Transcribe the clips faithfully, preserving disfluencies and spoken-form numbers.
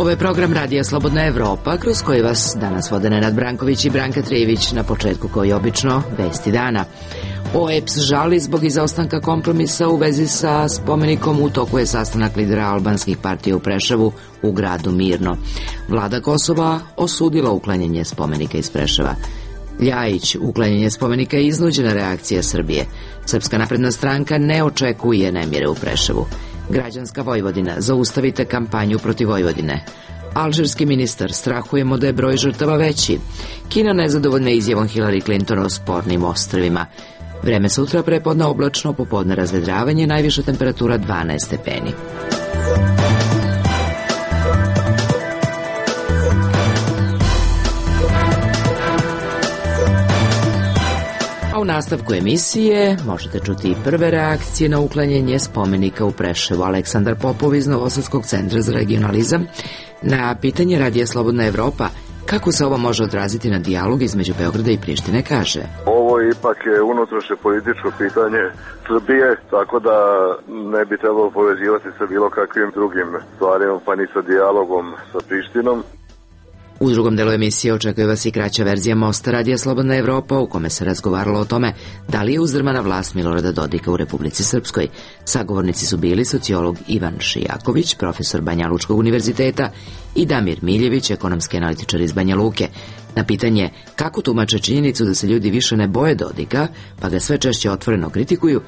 Ovo je program Radija Slobodna Evropa, kroz koji vas danas vode Nenad Branković i Branka Trijević. Na početku, koji obično, vesti dana. O E P S žali zbog izostanka kompromisa u vezi sa spomenikom. U toku je sastanak lidera albanskih partija u Preševu u gradu Mirno. Vlada Kosova osudila uklanjanje spomenika iz Preševa. Ljajić, uklanjanje spomenika je iznuđena reakcija Srbije. Srpska napredna stranka ne očekuje nemire u Preševu. Građanska Vojvodina, zaustavite kampanju protiv Vojvodine. Alžirski ministar, strahujemo da je broj žrtava veći. Kina nezadovoljna izjavom Hillary Clinton o spornim ostrvima. Vreme sutra, prepodne oblačno, popodne razvedravanje, najviša temperatura dvanaest stepeni. U nastavku emisije možete čuti i prve reakcije na uklanjanje spomenika u Preševu. Aleksandar Popov iz Novosadskog centra za regionalizam na pitanje Radija Slobodna Evropa kako se ovo može odraziti na dijalog između Beograda i Prištine kaže: Ovo ipak je unutrašnje političko pitanje Srbije, tako da ne bi trebalo povezivati sa bilo kakvim drugim stvarima, pa ni sa dijalogom sa Prištinom. U drugom delu emisije očekuje vas i kraća verzija Mosta Radija Slobodna Evropa, u kome se razgovaralo o tome da li je uzdrmana vlast Milorada Dodika u Republici Srpskoj. Sagovornici su bili sociolog Ivan Šijaković, profesor Banja Lučkog univerziteta, i Damir Miljević, ekonomski analitičar iz Banja Luke. Na pitanje kako tumače činjenicu da se ljudi više ne boje Dodika, pa ga sve češće otvoreno kritikuju,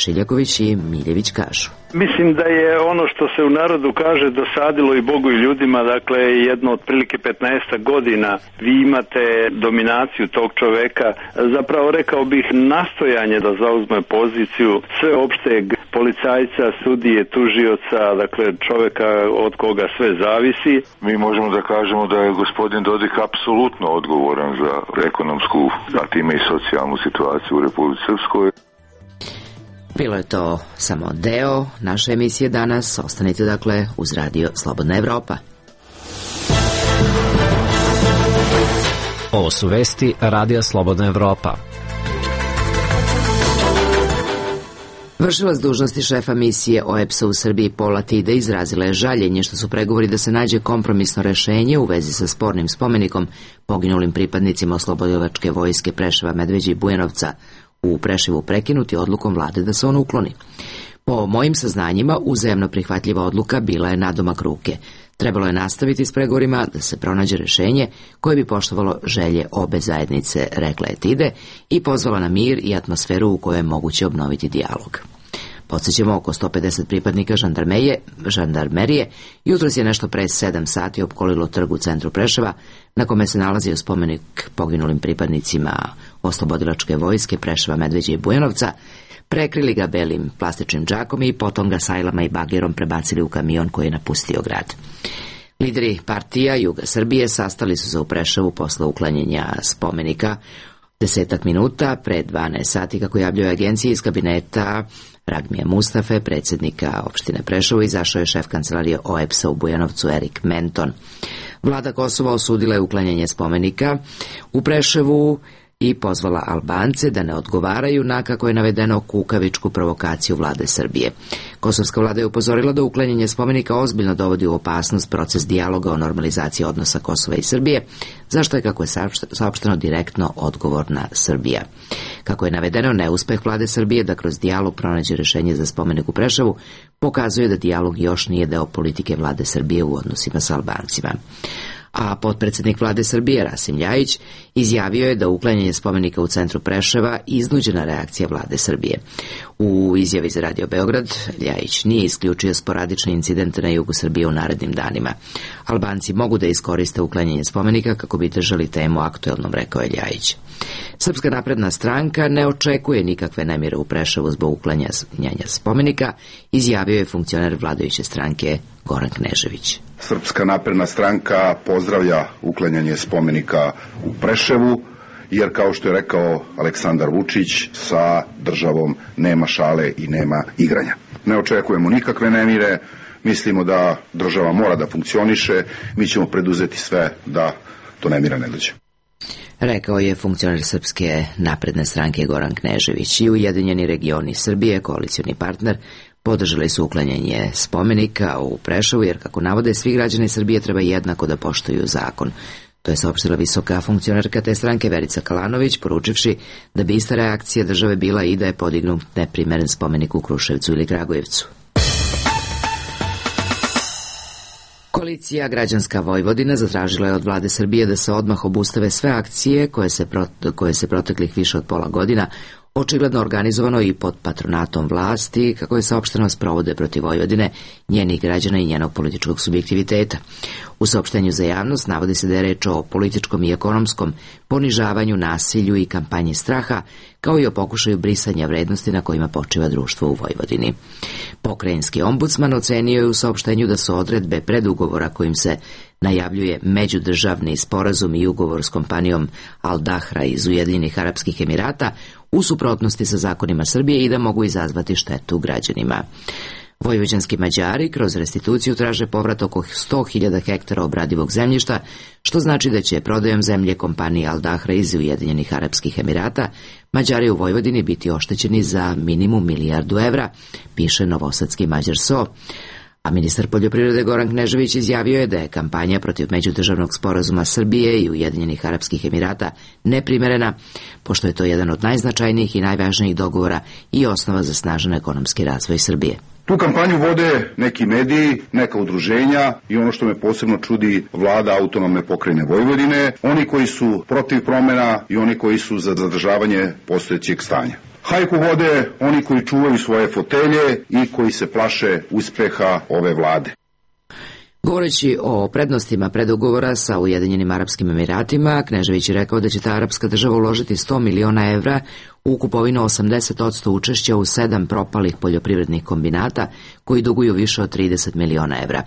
Šiljaković i Miljević kažu: Mislim da je ono što se u narodu kaže dosadilo i Bogu i ljudima, dakle jedno otprilike petnaest godina vi imate dominaciju tog čoveka, zapravo rekao bih nastojanje da zauzme poziciju sveopšteg policajca, sudije, tužioca, dakle čoveka od koga sve zavisi. Mi možemo da kažemo da je gospodin Dodik apsolutno odgovoran za ekonomsku, a time i socijalnu situaciju u Republici Srpskoj. Bilo je to samo deo naše emisije danas. Ostanite dakle uz Radio Slobodna Evropa. Ovo su vesti Radija Slobodna Evropa. Vršilac dužnosti šefa misije O E P S-a u Srbiji Pola Tide izrazila je žaljenje što su pregovori da se nađe kompromisno rešenje u vezi sa spornim spomenikom poginulim pripadnicima oslobodilačke vojske Preševa, Medveđe i Bujanovca u Preševu prekinuti odlukom vlade da se on ukloni. Po mojim saznanjima, uzajamno prihvatljiva odluka bila je nadomak ruke. Trebalo je nastaviti s pregovorima da se pronađe rešenje koje bi poštovalo želje obe zajednice, rekla je Tide, i pozvala na mir i atmosferu u kojoj je moguće obnoviti dijalog. Podsjećamo, oko sto pedeset pripadnika žandarmerije, žandarmerije jutros je nešto pre sedam sati opkolilo trg u centru Preševa, na kome se nalazio spomenik poginulim pripadnicima oslobodilačke vojske Preševa, Medveđe i Bujanovca, prekrili ga belim plastičnim džakom i potom ga sajlama i bagerom prebacili u kamion koji je napustio grad. Lideri partija Juga Srbije sastali su se u Preševu posle uklanjanja spomenika desetak minuta pre dvanaest sati, kako javljaju agencije iz kabineta Ragmija Mustafe, predsjednika opštine Preševo, izašao je šef kancelarije O E P S-a u Bujanovcu Erik Menton. Vlada Kosova osudila je uklanjanje spomenika u Preševu i pozvala Albance da ne odgovaraju na, kako je navedeno, kukavičku provokaciju vlade Srbije. Kosovska vlada je upozorila da uklanjanje spomenika ozbiljno dovodi u opasnost proces dijaloga o normalizaciji odnosa Kosova i Srbije, zašto je, kako je saopšteno, direktno odgovorna Srbija. Kako je navedeno, neuspeh vlade Srbije da kroz dijalog pronađe rešenje za spomenik u Preševu pokazuje da dijalog još nije deo politike vlade Srbije u odnosima sa Albancima. A potpredsjednik vlade Srbije Rasim Ljajić izjavio je da uklanjanje spomenika u centru Preševa iznuđena reakcija vlade Srbije. U izjavi za Radio Beograd Ljajić nije isključio sporadične incidente na jugu Srbije u narednim danima. Albanci mogu da iskoriste uklanjanje spomenika kako bi držali temu aktuelnom, rekao je Ljajić. Srpska napredna stranka ne očekuje nikakve nemire u Preševu zbog uklanjanja spomenika, izjavio je funkcioner vladajuće stranke Goran Knežević. Srpska napredna stranka pozdravlja uklanjanje spomenika u Preševu, jer kao što je rekao Aleksandar Vučić, sa državom nema šale i nema igranja. Ne očekujemo nikakve nemire, mislimo da država mora da funkcioniše, mi ćemo preduzeti sve da do nemira ne dođe. Rekao je funkcioner Srpske napredne stranke Goran Knežević. I Ujedinjeni regioni Srbije, koalicioni partner, Podržali su uklanjanje spomenika u Preševu jer, kako navode, svi građani Srbije treba jednako da poštuju zakon. To je saopštila visoka funkcionerka te stranke Verica Kalanović, poručivši da bi ista reakcija države bila i da je podignut neprimeren spomenik u Kruševcu ili Kragujevcu. Koalicija Građanska Vojvodina zatražila je od vlade Srbije da se odmah obustave sve akcije koje se, pro, koje se proteklih više od pola godina očigledno organizovano i pod patronatom vlasti, kako je saopšteno, sprovode protiv Vojvodine, njenih građana i njenog političkog subjektiviteta. U saopštenju za javnost navodi se da je reč o političkom i ekonomskom ponižavanju, nasilju i kampanji straha, kao i o pokušaju brisanja vrednosti na kojima počiva društvo u Vojvodini. Pokrajinski ombudsman ocenio je u saopštenju da su odredbe predugovora kojim se najavljuje međudržavni sporazum i ugovor s kompanijom Al Dahra iz Ujedinjenih Arapskih Emirata u suprotnosti sa zakonima Srbije i da mogu izazvati štetu građanima. Vojvođanski Mađari kroz restituciju traže povrat oko sto hiljada hektara obradivog zemljišta, što znači da će prodajom zemlje kompanije Al Dahra iz Ujedinjenih Arapskih Emirata Mađari u Vojvodini biti oštećeni za minimum milijardu evra, piše novosadski Mađar S O. A ministar poljoprivrede Goran Knežević izjavio je da je kampanja protiv međudržavnog sporazuma Srbije i Ujedinjenih Arapskih Emirata neprimerena, pošto je to jedan od najznačajnijih i najvažnijih dogovora i osnova za snažan ekonomski razvoj Srbije. Tu kampanju vode neki mediji, neka udruženja i ono što me posebno čudi, vlada autonomne pokrajine Vojvodine, oni koji su protiv promjena i oni koji su za zadržavanje postojećeg stanja. Hajku vode oni koji čuvaju svoje fotelje i koji se plaše uspeha ove vlade. Govoreći o prednostima predugovora sa Ujedinjenim Arapskim Emiratima, Knežević je rekao da će ta arapska država uložiti sto miliona evra u kupovinu osamdeset posto učešća u sedam propalih poljoprivrednih kombinata koji duguju više od trideset miliona evra.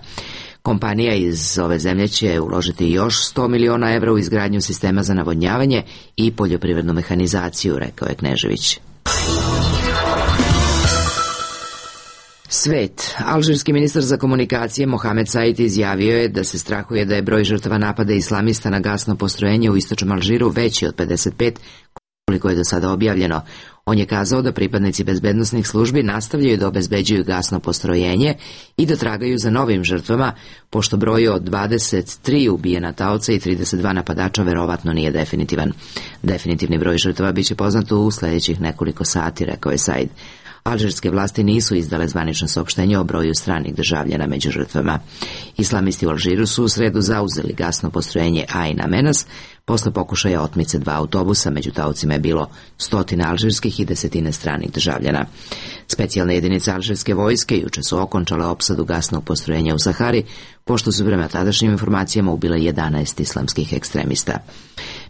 Kompanija iz ove zemlje će uložiti još sto miliona evra u izgradnju sistema za navodnjavanje i poljoprivrednu mehanizaciju, rekao je Knežević. Svet. Alžirski ministar za komunikacije Mohamed Said izjavio je da se strahuje da je broj žrtava napada islamista na gasno postrojenje u istočnom Alžiru veći od pedeset pet, koliko je do sada objavljeno. On je kazao da pripadnici bezbednosnih službi nastavljaju da obezbeđuju gasno postrojenje i da tragaju za novim žrtvama, pošto broj od dvadeset tri ubijena taoca i trideset dva napadača verovatno nije definitivan. Definitivni broj žrtava biće poznat u sljedećih nekoliko sati, rekao je Said. Alžirske vlasti nisu izdale zvanično saopštenje o broju stranih državljana među žrtvama. Islamisti u Alžiru su u sredu zauzeli gasno postrojenje Ain Amenas posle pokušaja otmice dva autobusa. Među taocima je bilo stotina alžirskih i desetine stranih državljana. Specijalne jedinice alžirske vojske juče su okončale opsadu gasnog postrojenja u Sahari, pošto su prema tadašnjim informacijama ubile jedanaest islamskih ekstremista.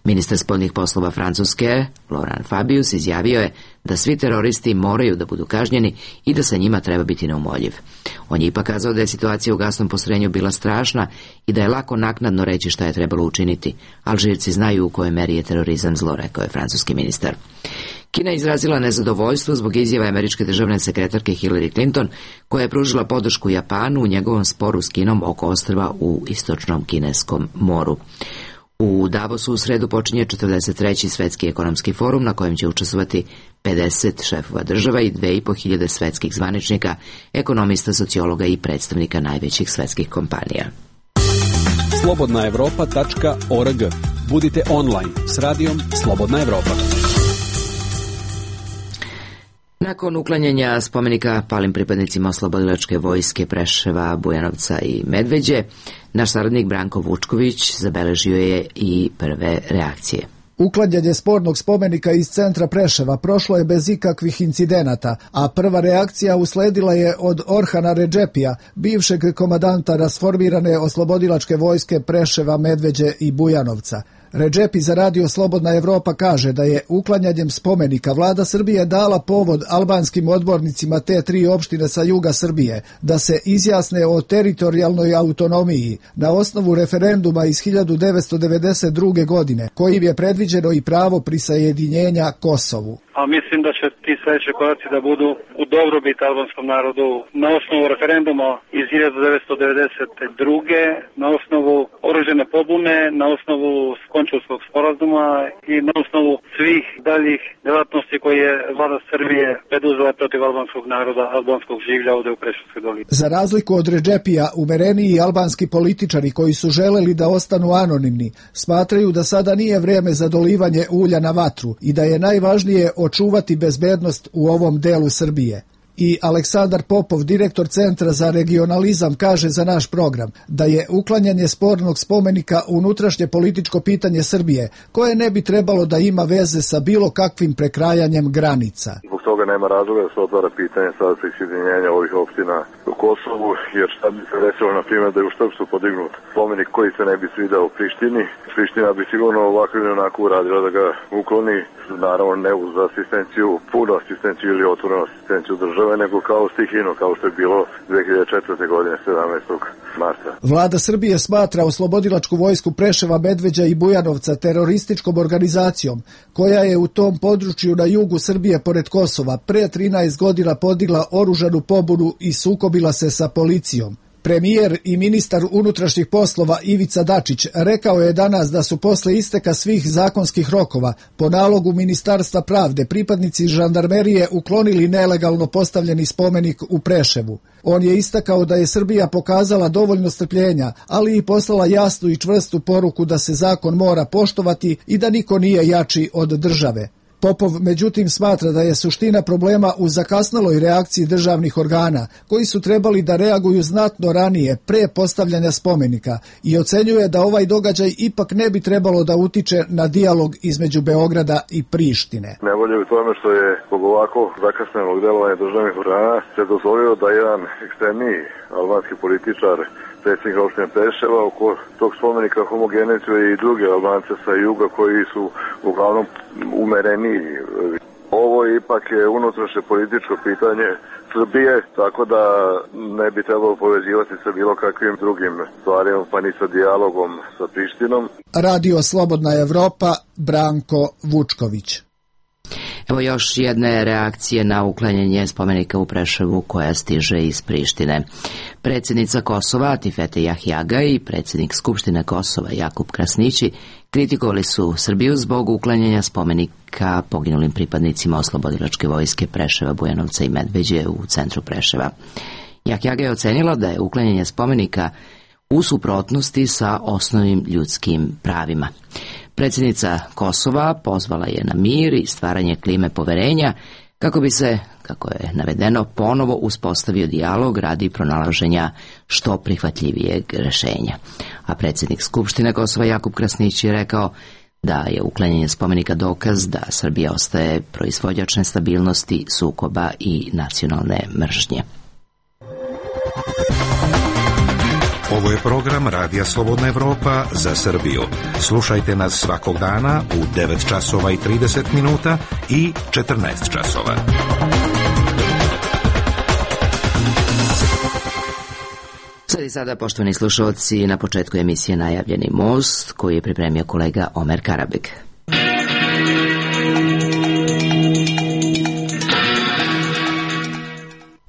Ministar spoljnih poslova Francuske, Laurent Fabius, izjavio je da svi teroristi moraju da budu kažnjeni i da sa njima treba biti neumoljiv. On je ipak kazao da je situacija u gasnom postrojenju bila strašna i da je lako naknadno reći šta je trebalo učiniti. Alžirci znaju u kojoj meri je terorizam zlo, rekao je francuski ministar. Kina je izrazila nezadovoljstvo zbog izjave američke državne sekretarke Hillary Clinton, koja je pružila podršku Japanu u njegovom sporu s Kinom oko ostrva u istočnom kineskom moru. U Davosu u sredu počinje četrdeset treći svetski ekonomski forum na kojem će učestvovati pedeset šefova država i dve i po hiljade svetskih zvaničnika, ekonomista, sociologa i predstavnika najvećih svetskih kompanija. slobodna evropa tačka org. Budite online s radijom Slobodna Evropa. Nakon uklanjanja spomenika palim pripadnicima oslobodilačke vojske Preševa, Bujanovca i Medveđe, naš saradnik Branko Vučković zabeležio je i prve reakcije. Uklanjanje spornog spomenika iz centra Preševa prošlo je bez ikakvih incidenata, a prva reakcija usledila je od Orhana Redžepija, bivšeg komadanta rasformirane oslobodilačke vojske Preševa, Medveđe i Bujanovca. Redžepi za radio Slobodna Evropa kaže da je uklanjanjem spomenika vlada Srbije dala povod albanskim odbornicima te tri opštine sa juga Srbije da se izjasne o teritorijalnoj autonomiji na osnovu referenduma iz hiljadu devetsto devedeset druge. godine, kojim je predviđeno i pravo prisajedinjenja Kosovu. A mislim da će ti sledeći koraci da budu u dobrobit albanskom narodu na osnovu referenduma iz hiljadu devetsto devedeset druge. na osnovu oružane pobune, na osnovu Končulskog sporazuma i na osnovu svih daljih delatnosti koje je vlada Srbije preduzela protiv albanskog naroda, albanskog življa ovde u Preševskoj dolini. Za razliku od Redžepija, umereniji albanski političari koji su želeli da ostanu anonimni, smatraju da sada nije vreme za dolivanje ulja na vatru i da je najvažnije očuvati bezbednost u ovom delu Srbije. I Aleksandar Popov, direktor Centra za regionalizam, kaže za naš program da je uklanjanje spornog spomenika unutrašnje političko pitanje Srbije, koje ne bi trebalo da ima veze sa bilo kakvim prekrajanjem granica. Zbog toga nema razloga da se otvara pitanje sada prisjedinjenja ovih opština u Kosovu, jer šta bi se desilo, na primjer, da je u Štrpcu podignut spomenik koji se ne bi svidao u Prištini. Priština bi sigurno ovako ili onako uradila da ga ukloni, naravno ne uz asistenciju, punu asistenciju ili otvorenu asistenciju države, nego kao stihino, kao što je bilo dve hiljade četvrte. godine, sedamnaestog marta. Vlada Srbije smatra oslobodilačku vojsku Preševa, Medveđa i Bujanovca terorističkom organizacijom, koja je u tom području na jugu Srbije pored Kosova pre trinaest godina podigla oružanu pobunu i sukobila se sa policijom. Premijer i ministar unutrašnjih poslova Ivica Dačić rekao je danas da su posle isteka svih zakonskih rokova po nalogu Ministarstva pravde pripadnici žandarmerije uklonili nelegalno postavljeni spomenik u Preševu. On je istakao da je Srbija pokazala dovoljno strpljenja, ali i poslala jasnu i čvrstu poruku da se zakon mora poštovati i da niko nije jači od države. Popov međutim smatra da je suština problema u zakasneloj reakciji državnih organa, koji su trebali da reaguju znatno ranije, pre postavljanja spomenika, i ocenjuje da ovaj događaj ipak ne bi trebalo da utiče na dijalog između Beograda i Prištine. Nevolje u tome što je zbog ovako zakasnelog delovanja državnih organa se dozvolio da jedan ekstremniji albanski političar, predsjednik opštine Preševa, oko tog spomenika homogenizuje i druge Albance sa juga koji su uglavnom umereniji. Ovo ipak je unutrašnje političko pitanje Srbije, tako da ne bi trebalo povezivati sa bilo kakvim drugim stvarima, pa ni sa dijalogom sa Prištinom. Radio Slobodna Evropa, Branko Vučković. Evo još jedne reakcije na uklanjanje spomenika u Preševu koja stiže iz Prištine. Predsjednica Kosova Atifete Jahjaga i predsjednik Skupštine Kosova Jakub Krasnići kritikovali su Srbiju zbog uklanjanja spomenika poginulim pripadnicima oslobodilačke vojske Preševa, Bujanovca i Medveđe u centru Preševa. Jahjaga je ocenila da je uklanjanje spomenika u suprotnosti sa osnovnim ljudskim pravima. Predsjednica Kosova pozvala je na mir i stvaranje klime poverenja kako bi se, kako je navedeno, ponovo uspostavio dijalog radi pronalaženja što prihvatljivijeg rešenja. A predsjednik Skupštine Kosova Jakub Krasnić je rekao da je uklanjanje spomenika dokaz da Srbija ostaje proizvođač nestabilnosti, sukoba i nacionalne mržnje. Ovo je program Radija Slobodna Evropa za Srbiju. Slušajte nas svakog dana u devet časova i trideset minuta i četrnaest časova. Sad i sada, poštovani slušalci, na početku emisije najavljeni most koji je pripremio kolega Omer Karabek.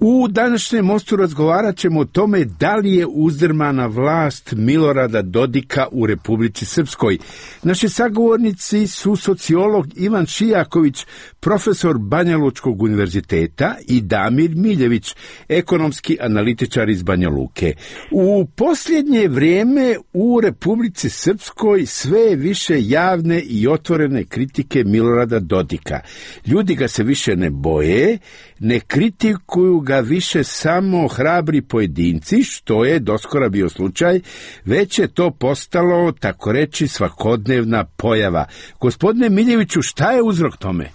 U današnjem mostu razgovarat ćemo o tome da li je uzdrmana vlast Milorada Dodika u Republici Srpskoj. Naši sagovornici su sociolog Ivan Šijaković, profesor Banja Lučkog univerziteta, i Damir Miljević, ekonomski analitičar iz Banja Luke. U posljednje vrijeme u Republici Srpskoj sve više javne i otvorene kritike Milorada Dodika. Ljudi ga se više ne boje, ne kritikuju ga više samo hrabri pojedinci, što je doskora bio slučaj, već je to postalo, tako reći, svakodnevna pojava. Gospodine Miljeviću, šta je uzrok tome?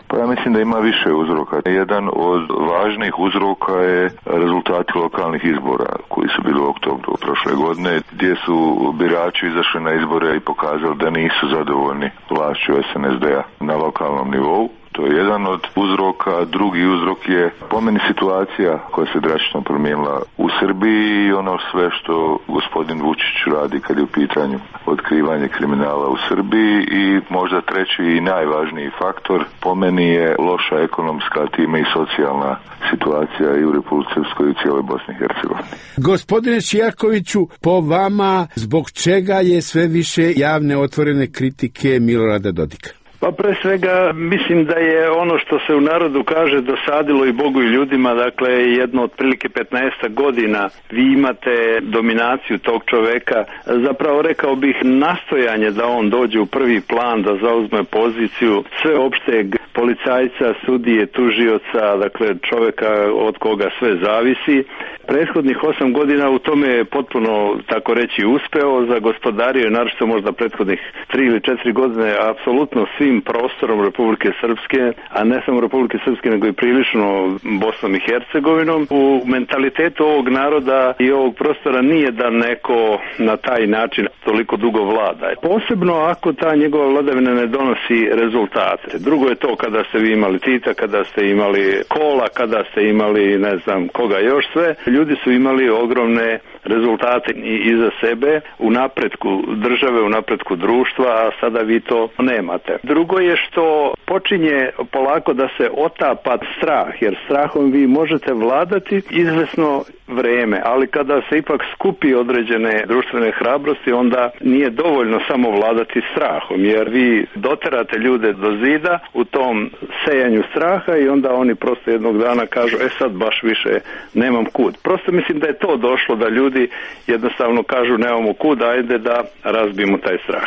Pa ja mislim da ima više uzroka. Jedan od važnih uzroka je rezultati lokalnih izbora koji su bili u oktobru prošle godine, gdje su birači izašli na izbore i pokazali da nisu zadovoljni vlašću es en es de a na lokalnom nivou. To je jedan od uzroka. Drugi uzrok je po meni situacija koja se drastično promijenila u Srbiji i ono sve što gospodin Vučić radi kad je u pitanju otkrivanje kriminala u Srbiji. I možda treći i najvažniji faktor po meni je loša ekonomska, time i socijalna situacija i u Republici Srpskoj i u cijeloj Bosni i Hercegovini. Gospodine Šijakoviću, po vama zbog čega je sve više javne otvorene kritike Milorada Dodika? Pa pre svega mislim da je ono što se u narodu kaže dosadilo i Bogu i ljudima, dakle jedno otprilike petnaest godina vi imate dominaciju tog čoveka, zapravo rekao bih nastojanje da on dođe u prvi plan, da zauzme poziciju sveopšteg policajca, sudije, tužioca, dakle čoveka od koga sve zavisi. Prethodnih osam godina u tome je potpuno, tako reći, uspeo, zagospodario je naročito možda prethodnih tri ili četiri godine apsolutno svim prostorom Republike Srpske, a ne samo Republike Srpske nego i prilično Bosnom i Hercegovinom. U mentalitetu ovog naroda i ovog prostora nije da neko na taj način toliko dugo vlada. Posebno ako ta njegova vladavina ne donosi rezultate. Drugo je to kada ste vi imali Tita, kada ste imali Kola, kada ste imali ne znam koga još sve. Ljudi su imali ogromne rezultate i iza sebe u napretku države, u napretku društva, a sada vi to nemate. Drugo je što počinje polako da se otapa strah, jer strahom vi možete vladati izvesno vreme, ali kada se ipak skupi određene društvene hrabrosti, onda nije dovoljno samo vladati strahom, jer vi doterate ljude do zida u tom sejanju straha i onda oni prosto jednog dana kažu, e sad baš više nemam kud. Prosto mislim da je to došlo da ljudi jednostavno kažu nemamo kud, ajde da razbijemo taj strah.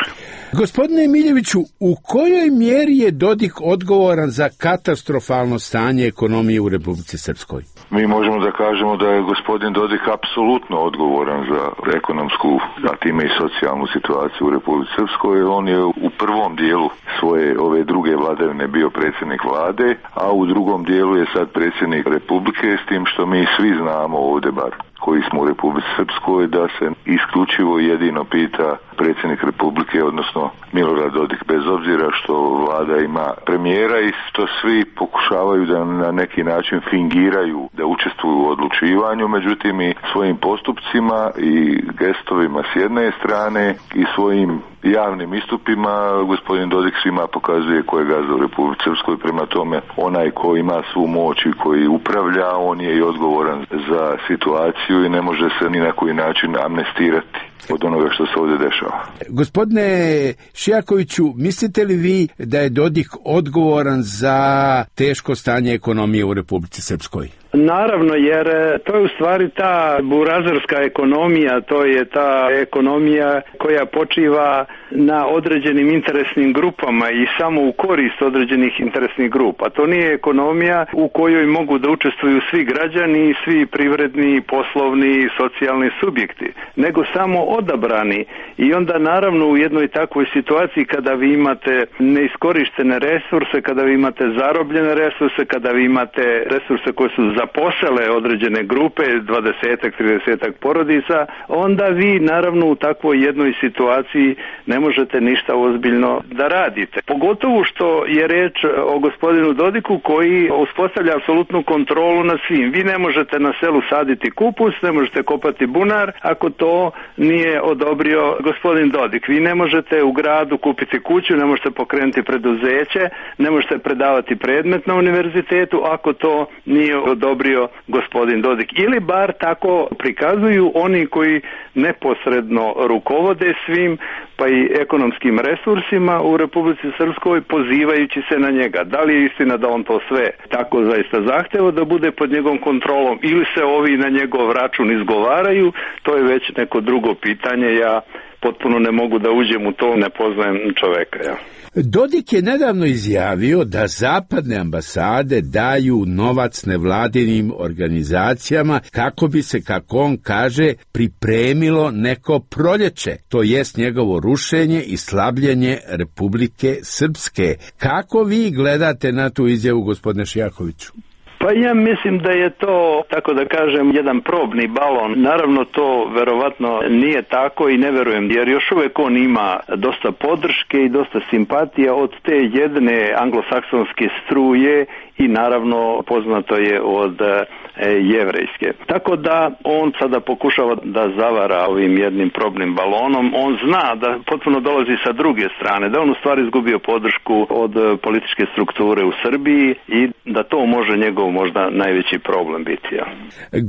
Gospodine Miljeviću, u kojoj mjeri je Dodik odgovoran za katastrofalno stanje ekonomije u Republici Srpskoj? Mi možemo da kažemo da je gospodin Dodik apsolutno odgovoran za ekonomsku, a time i socijalnu situaciju u Republici Srpskoj. On je u prvom dijelu svoje ove druge vladavine bio predsjednik vlade, a u drugom dijelu je sad predsjednik Republike, s tim što mi svi znamo ovdje bar koji smo u Republici Srpskoj da se isključivo jedino pita predsjednik Republike, odnosno Milorad Dodik, bez obzira što vlada ima premijera i što svi pokušavaju da na neki način fingiraju da učestvuju u odlučivanju, međutim i svojim postupcima i gestovima s jedne strane i svojim javnim istupima gospodin Dodik svima pokazuje ko je gazda u Republici Srpskoj, prema tome onaj ko ima svu moć i koji upravlja, on je i odgovoran za situaciju i ne može se ni na koji način amnestirati od onoga što se ovdje dešava. Gospodine Šijakoviću, mislite li vi da je Dodik odgovoran za teško stanje ekonomije u Republici Srpskoj? Naravno, jer to je u stvari ta burazerska ekonomija, to je ta ekonomija koja počiva na određenim interesnim grupama i samo u korist određenih interesnih grupa. To nije ekonomija u kojoj mogu da učestvuju svi građani, svi privredni, poslovni, socijalni subjekti, nego samo odabrani. I onda naravno u jednoj takvoj situaciji kada vi imate neiskorištene resurse, kada vi imate zarobljene resurse, kada vi imate resurse koje su zaposele određene grupe, dvadesetak, tridesetak porodica, onda vi naravno u takvoj jednoj situaciji ne možete ništa ozbiljno da radite. Pogotovo što je reč o gospodinu Dodiku koji uspostavlja apsolutnu kontrolu nad svim. Vi ne možete na selu saditi kupus, ne možete kopati bunar ako to nije odobrio gospodin Dodik. Vi ne možete u gradu kupiti kuću, ne možete pokrenuti preduzeće, ne možete predavati predmet na univerzitetu ako to nije odobrio gospodin Dodik. Ili bar tako prikazuju oni koji neposredno rukovode svim pa i ekonomskim resursima u Republici Srpskoj pozivajući se na njega. Da li je istina da on to sve tako zaista zahteva da bude pod njegovom kontrolom ili se ovi na njegov račun izgovaraju, to je već neko drugo pitanje. Ja potpuno ne mogu da uđem u to, ne poznajem čoveka. Ja. Dodik je nedavno izjavio da zapadne ambasade daju novac nevladinim organizacijama kako bi se, kako on kaže, pripremilo neko proljeće, to jest njegovo rušenje i slabljenje Republike Srpske. Kako vi gledate na tu izjavu, gospodine Šijakoviću? Pa ja mislim da je to, tako da kažem, jedan probni balon. Naravno to verovatno nije tako i ne verujem, jer još uvijek on ima dosta podrške i dosta simpatija od te jedne anglosaksonske struje i naravno poznato je od e, jevrejske. Tako da on sada pokušava da zavara ovim jednim probnim balonom. On zna da potpuno dolazi sa druge strane, da on u stvari izgubio podršku od političke strukture u Srbiji i da to može njegov možda najveći problem biti. Ja.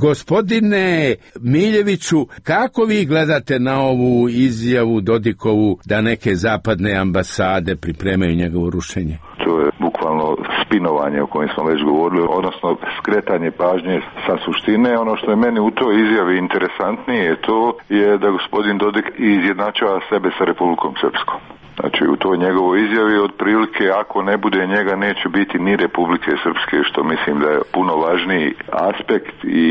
Gospodine Miljeviću, kako vi gledate na ovu izjavu Dodikovu da neke zapadne ambasade pripremaju njegovo rušenje? To je bukvalno spinovanje o kojem smo već govorili, odnosno skretanje pažnje sa suštine. Ono što je meni u toj izjavi interesantnije to je da gospodin Dodik izjednačava sebe sa Republikom Srpskom. Znači u toj njegovoj izjavi otprilike ako ne bude njega neće biti ni Republike Srpske, što mislim da je puno važniji aspekt i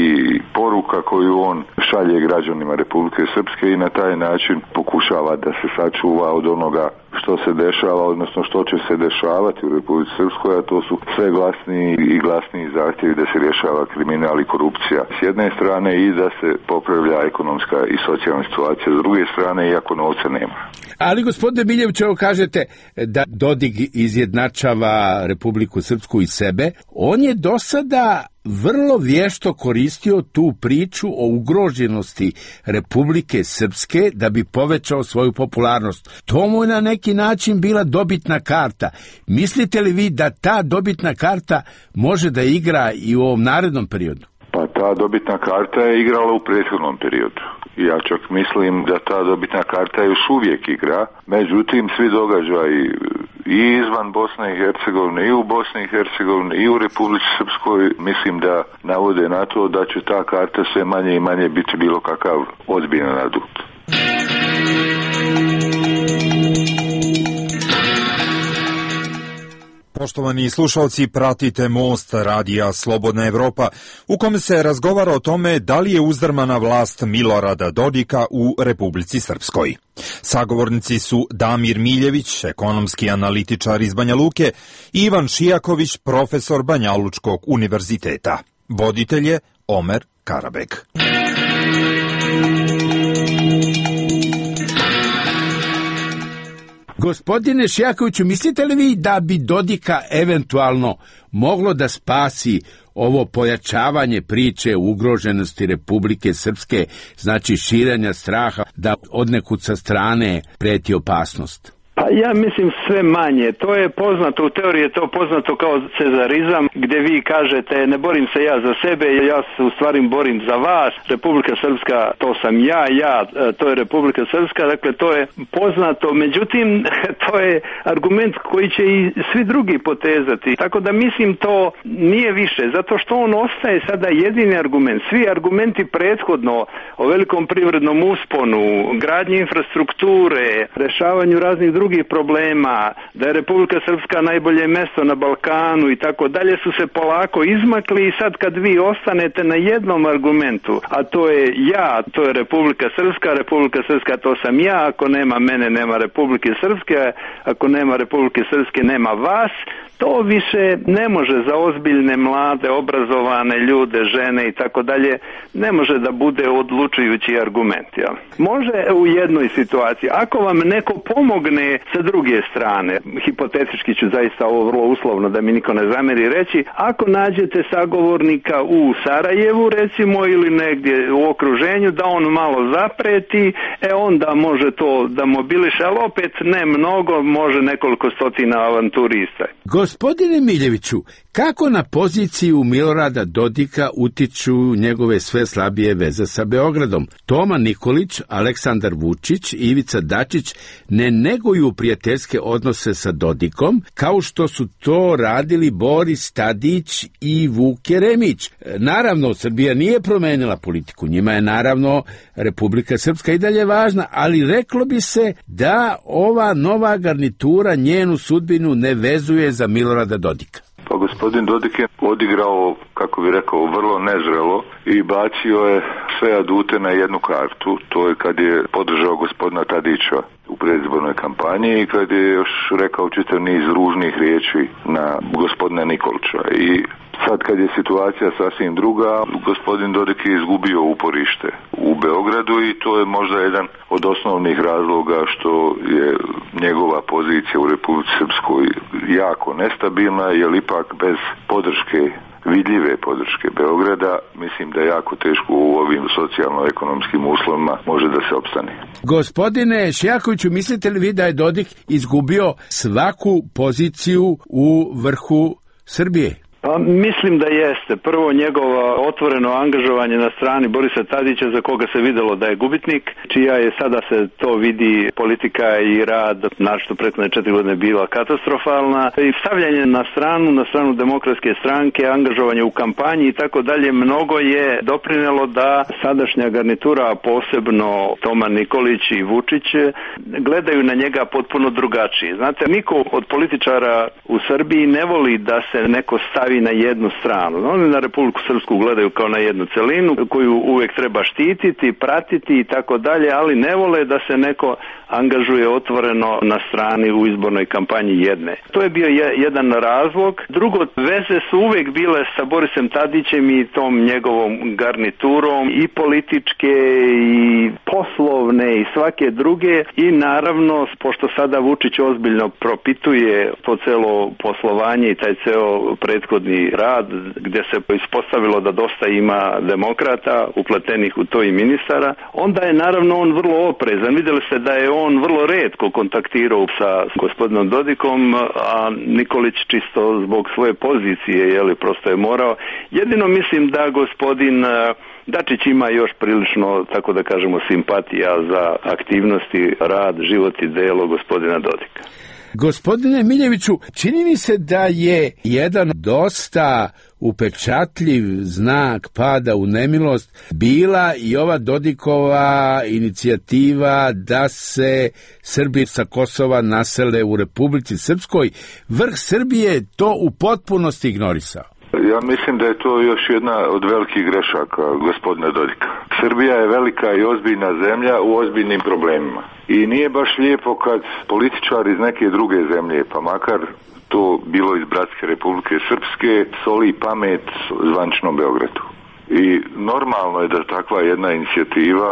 poruka koju on šalje građanima Republike Srpske i na taj način pokušava da se sačuva od onoga što se dešava, odnosno što će se dešavati u Republici Srpskoj, a to su sve glasniji i glasniji zahtjevi da se rješava kriminal i korupcija s jedne strane i da se popravlja ekonomska i socijalna situacija s druge strane, iako novca nema. Ali gospodine Miljević, evo kažete da Dodik izjednačava Republiku Srpsku i sebe. On je do sada vrlo vješto koristio tu priču o ugroženosti Republike Srpske da bi povećao svoju popularnost. To mu je na neki način bila dobitna karta. Mislite li vi da ta dobitna karta može da igra i u ovom narednom periodu? Pa ta dobitna karta je igrala u prethodnom periodu. Ja čak mislim da ta dobitna karta još uvijek igra, međutim svi događaji i izvan Bosne i Hercegovine i u Bosni i Hercegovini i u Republici Srpskoj mislim da navode na to da će ta karta sve manje i manje biti bilo kakav ozbiljan adut. Poštovani slušalci, pratite Most radija Slobodna Evropa, u kome se razgovara o tome da li je uzdrmana vlast Milorada Dodika u Republici Srpskoj. Sagovornici su Damir Miljević, ekonomski analitičar iz Banja Luke, i Ivan Šijaković, profesor Banjalučkog univerziteta. Voditelj je Omer Karabek. Gospodine Šijakoviću, mislite li vi da bi Dodika eventualno moglo da spasi ovo pojačavanje priče o ugroženosti Republike Srpske, znači širenja straha da odnekud sa strane preti opasnost? Pa ja mislim sve manje. To je poznato, u teoriji je to poznato kao cezarizam, gdje vi kažete ne borim se ja za sebe, ja se u stvari borim za vas. Republika Srpska, to sam ja, ja, to je Republika Srpska, dakle to je poznato. Međutim, to je argument koji će i svi drugi potezati. Tako da mislim to nije više, zato što on ostaje sada jedini argument. Svi argumenti prethodno o velikom privrednom usponu, gradnji infrastrukture, rešavanju raznih drugih drugih problema, da je Republika Srpska najbolje mesto na Balkanu i tako dalje, su se polako izmakli i sad kad vi ostanete na jednom argumentu, a to je ja, to je Republika Srpska, Republika Srpska to sam ja, ako nema mene nema Republike Srpske, ako nema Republike Srpske nema vas, to više ne može za ozbiljne, mlade, obrazovane ljude, žene i tako dalje, ne može da bude odlučujući argument. Ja. Može u jednoj situaciji, ako vam neko pomogne sa druge strane, hipotetički ću zaista ovo vrlo uslovno da mi niko ne zameri reći, ako nađete sagovornika u Sarajevu recimo ili negdje u okruženju da on malo zapreti, e onda može to da mobiliše, ali opet ne mnogo, može nekoliko stotina avanturista. Gospodine Miljeviću, kako na poziciju Milorada Dodika utiču njegove sve slabije veze sa Beogradom? Toma Nikolić, Aleksandar Vučić i Ivica Dačić ne neguju prijateljske odnose sa Dodikom, kao što su to radili Boris Tadić i Vuk Jeremić. Naravno, Srbija nije promenila politiku, njima je naravno Republika Srpska i dalje važna, ali reklo bi se da ova nova garnitura njenu sudbinu ne vezuje za Milorada Dodika. Pa gospodin Dodik je odigrao, kako bi rekao, vrlo nezrelo i bacio je sve adute na jednu kartu. To je kad je podržao gospodina Tadića u predizbornoj kampanji i kad je još rekao čitav niz ružnih riječi na gospodina Nikolića. I Sad kad je situacija sasvim druga, gospodin Dodik je izgubio uporište u Beogradu i to je možda jedan od osnovnih razloga što je njegova pozicija u Republici Srpskoj jako nestabilna, jer ipak bez podrške, vidljive podrške Beograda, mislim da je jako teško u ovim socijalno-ekonomskim uslovima može da se opstane. Gospodine Šijakoviću, mislite li vi da je Dodik izgubio svaku poziciju u vrhu Srbije? Pa mislim da jeste. Prvo njegovo otvoreno angažovanje na strani Borisa Tadića, za koga se videlo da je gubitnik, čija je sada se to vidi politika i rad, našto prethodne četiri godine bila katastrofalna, i stavljanje na stranu, na stranu Demokratske stranke, angažovanje u kampanji i tako dalje, mnogo je doprinelo da sadašnja garnitura, posebno Toma Nikolić i Vučić, gledaju na njega potpuno drugačije. Znate, niko od političara u Srbiji ne voli da se neko stavi na jednu stranu. Oni na Republiku Srpsku gledaju kao na jednu celinu koju uvek treba štititi, pratiti i tako dalje, ali ne vole da se neko angažuje otvoreno na strani u izbornoj kampanji jedne. To je bio je, jedan razlog. Drugo, veze su uvek bile sa Borisem Tadićem i tom njegovom garniturom, i političke i poslovne i svake druge, i naravno, pošto sada Vučić ozbiljno propituje to celo poslovanje i taj ceo prethodni rad, gdje se ispostavilo da dosta ima demokrata upletenih u to i ministara, onda je naravno on vrlo oprezan. Vidjeli ste da je on vrlo retko kontaktirao sa gospodinom Dodikom, a Nikolić čisto zbog svoje pozicije, jeli, prosto je morao. Jedino mislim da gospodin Dačić ima još prilično, tako da kažemo, simpatija za aktivnosti, rad, život i delo gospodina Dodika. Gospodine Miljeviću, čini mi se da je jedan dosta upečatljiv znak pada u nemilost bila i ova Dodikova inicijativa da se Srbi sa Kosova nasele u Republici Srpskoj. Vrh Srbije to u potpunosti ignorisao. Ja mislim da je to još jedna od velikih grešaka gospodina Dodika. Srbija je velika i ozbiljna zemlja u ozbiljnim problemima. I nije baš lijepo kad političari iz neke druge zemlje, pa makar to bilo iz Bratske Republike Srpske, soli pamet zvančnom Beogradu. I normalno je da takva jedna inicijativa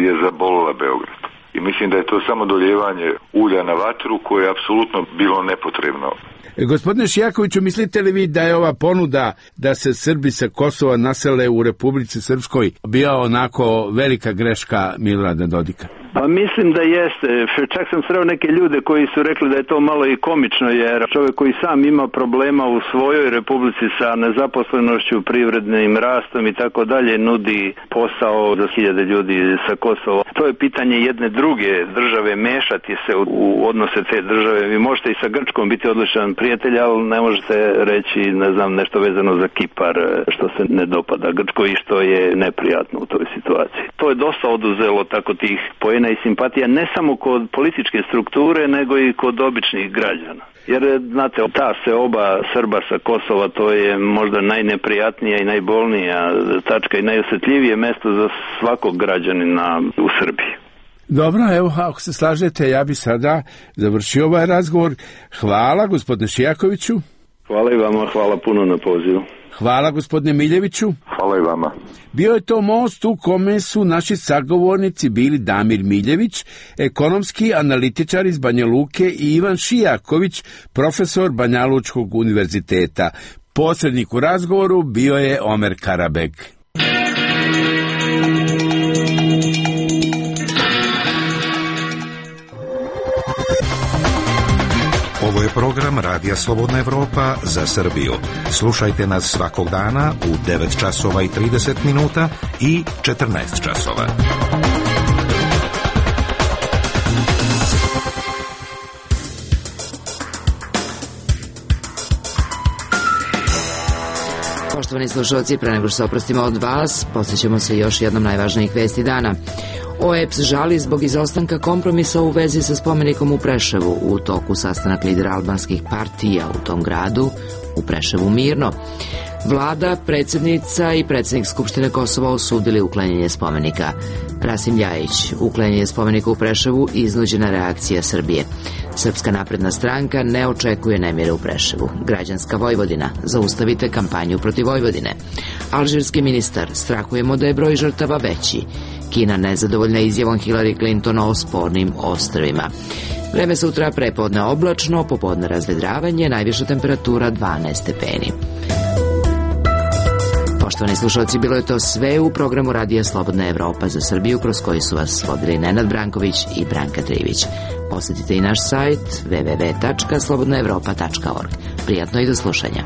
je zabolila Beograd. I mislim da je to samo doljevanje ulja na vatru koje je apsolutno bilo nepotrebno. Gospodine Šijakoviću, mislite li vi da je ova ponuda da se Srbi sa Kosova nasele u Republici Srpskoj bila onako velika greška Milorada Dodika? Pa mislim da jeste. Čak sam sreo neke ljude koji su rekli da je to malo i komično, jer čovjek koji sam ima problema u svojoj republici sa nezaposlenošću, privrednim rastom i tako dalje, nudi posao za hiljade ljudi sa Kosova. To je pitanje jedne druge države, mešati se u, u odnose te države. Vi možete i sa Grčkom biti odličan prijatelj, ali ne možete reći, ne znam, nešto vezano za Kipar što se ne dopada Grčkoj i što je neprijatno u toj situaciji. To je dosta oduzelo tako tih poena i simpatija ne samo kod političke strukture, nego i kod običnih građana. Jer, znate, ta seoba Srba sa Kosova, to je možda najneprijatnija i najbolnija tačka i najosjetljivije mesto za svakog građanina u Srbiji. Dobro, evo, ako se slažete, ja bi sada završio ovaj razgovor. Hvala, gospodine Šijakoviću. Hvala i vama, hvala puno na pozivu. Hvala, gospodine Miljeviću. Hvala i vama. Bio je to most u kome su naši sagovornici bili Damir Miljević, ekonomski analitičar iz Banja Luke, i Ivan Šijaković, profesor Banjalučkog univerziteta. Posrednik u razgovoru bio je Omer Karabeg. Ovo je program Radija Slobodna Evropa za Srbiju. Slušajte nas svakog dana u devet časova i trideset minuta i četrnaest časova. Poštovani slušalci, pre nego što se oprostimo od vas, posjećamo se još jednom najvažnijih vesti dana. O E P S žali zbog izostanka kompromisa u vezi sa spomenikom u Preševu. U toku sastanak lidera albanskih partija u tom gradu, u Preševu mirno. Vlada, predsjednica i predsjednik Skupštine Kosova osudili uklanjanje spomenika. Rasim Ljajić, uklanjanje spomenika u Preševu, iznuđena reakcija Srbije. Srpska napredna stranka ne očekuje nemire u Preševu. Građanska Vojvodina, zaustavite kampanju protiv Vojvodine. Alžirski ministar, strahujemo da je broj žrtava veći. Kina nezadovoljna izjavom Hillary Clinton o spornim ostrvima. Vreme sutra prepodne oblačno, popodne razvedravanje, najviša temperatura dvanaest stepeni. Poštovani slušalci, bilo je to sve u programu Radija Slobodna Evropa za Srbiju, kroz koji su vas vodili Nenad Branković i Branka Trivić. Posjetite i naš sajt w w w tačka slobodna evropa tačka org. Prijatno i do slušanja.